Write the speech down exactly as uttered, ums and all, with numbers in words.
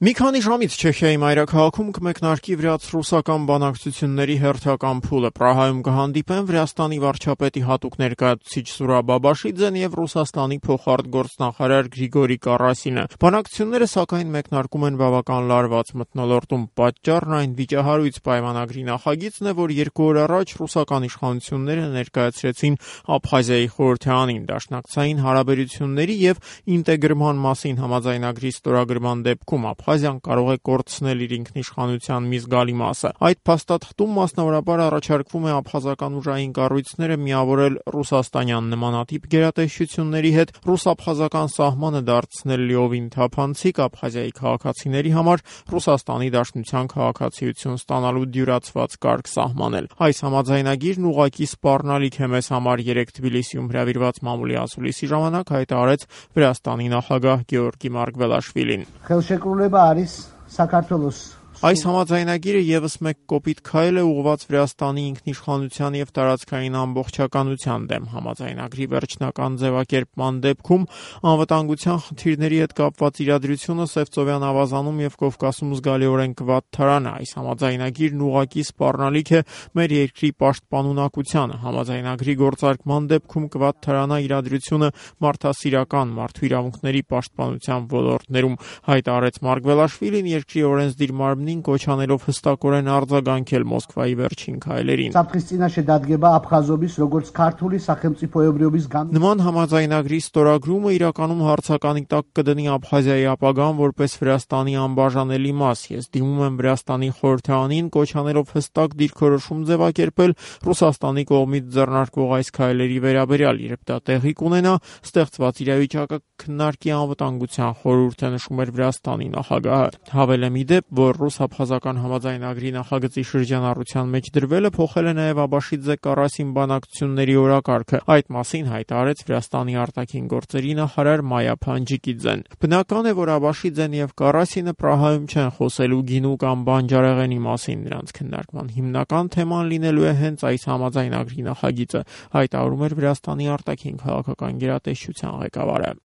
Մի քանի ժամից Չեխիայի մայրաքաղաքում կմեկնարկի վրաց-ռուսական բանակցությունների հերթական փուլը։ Պրահայում կհանդիպեն Վրաստանի վարչապետի հատուկ ներկայացուցիչ Սուրա Բաբաշիձեն եւ Ռուսաստանի փոխարտգործնախարար Գրիգորի Կարասինը։ Բանակցությունները սակայն մեկնարկում են բավական լարված մթնոլորտում։ Պատճառն այն վիճահարույց պայմանագրի նախագիծն է, որ երկու օր առաջ ռուսական իշխանությունները ներկայացրեցին Աբխազիայի խորհրդարանին դաշնակցային հարաբերությունների եւ ինտեգրման մասին համաձայնագրի ստորագրման դեպքում Աբխազիան կարող է կորցնել իր ինքնիշխանության մի զգալի մասը։ Այդ փաստաթղթում մասնավորաբար առաջարկվում է աբխազական ուժային կառույցները միավորել ռուսաստանյան նմանատիպ գերատեսչությունների հետ, ռուս-աբխազական սահմանը դարձնել լիովին թափանցիկ, Աբխազիայի քաղաքացիների համար Ռուսաստանի Դաշնության քաղաքացիություն ստանալու դյուրացված կարգ սահմանել։ Այս համաձայնագիրն ուղղակի սպառնալիք է մեզ համար, երեկ Թբիլիսիում հրավիրված մամուլի ասուլիսի ժամանակ հայտարարեց Վրաստանի նախագահ Գեորգի Մարգվելաշվիլին։ Այս համաձայնագիրը եւս մեկ կոպիտ քայլ է ուղղված Վրաստանի ինքնիշխանության եւ տարածքային ամբողջականության դեմ։ Համաձայնագրի վերջնական ձևակերպման դեպքում անվտանգության խնդիրների հետ կապված իրադրությունը Սևծովյան ավազանում եւ Կովկասում զգալիորեն կվատթարան է։ Այս համաձայնագիրն ուղղակի սպառնալիք է մեր երկրի պաշտպանունակությանը։ Համաձայնագրի գործարկման դեպքում կվատթարանա իրադրությունը մարդասիրական, մարդու իրավունքների պաշտպանության ոլորտներում, հայտարարեց Մարգվելաշվիլին, երկրի օրենսդիր մարմնին կոչ անելով հստակորեն արձագանքել Մոսկվայի վերջին քայլերին։ Նման համաձայնագրի ստորագրումը իրականում հարցականի տակ կդնի Աբխազիայի ապագան որպես Վրաստանի անբաժանելի մաս։ Ես դիմում եմ Վրաստանի խորհրդարանին կոչ անելով հստակ դիրքորոշում ձևակերպել Ռուսաստանի կողմից ձեռնարկվող այս քայլերի վերաբերյալ, երբ դա տեղի կունենա, ստեղծված իրավիճակը քննարկի անվտանգության խորհուրդը, նշում էր Վրաստանի նախագահը։ Հավելեմ ի դեպ, որ ռուս-աբխազական համաձայնագրի նախագծի շրջանառության մեջ դրվելը փոխել է նաև Աբաշիձե-Կարասին բանակցությունների օրակարգը։ Այդ մասին հայտարարեց Վրաստանի արտաքին գործերի նախարար Մայա Փանջիկիձեն։ Բնական է, որ Աբաշիձեն եւ Կարասինը Պրահայում չեն խոսելու գինու կամ բանջարեղենի մասին։ Նրանց քննարկման հիմնական թեման լինելու է հենց այս համաձայնագրի նախագիծը, հայտարարում էր Վրաստանի արտաքին քաղաքական գերատեսչության ղեկավարը։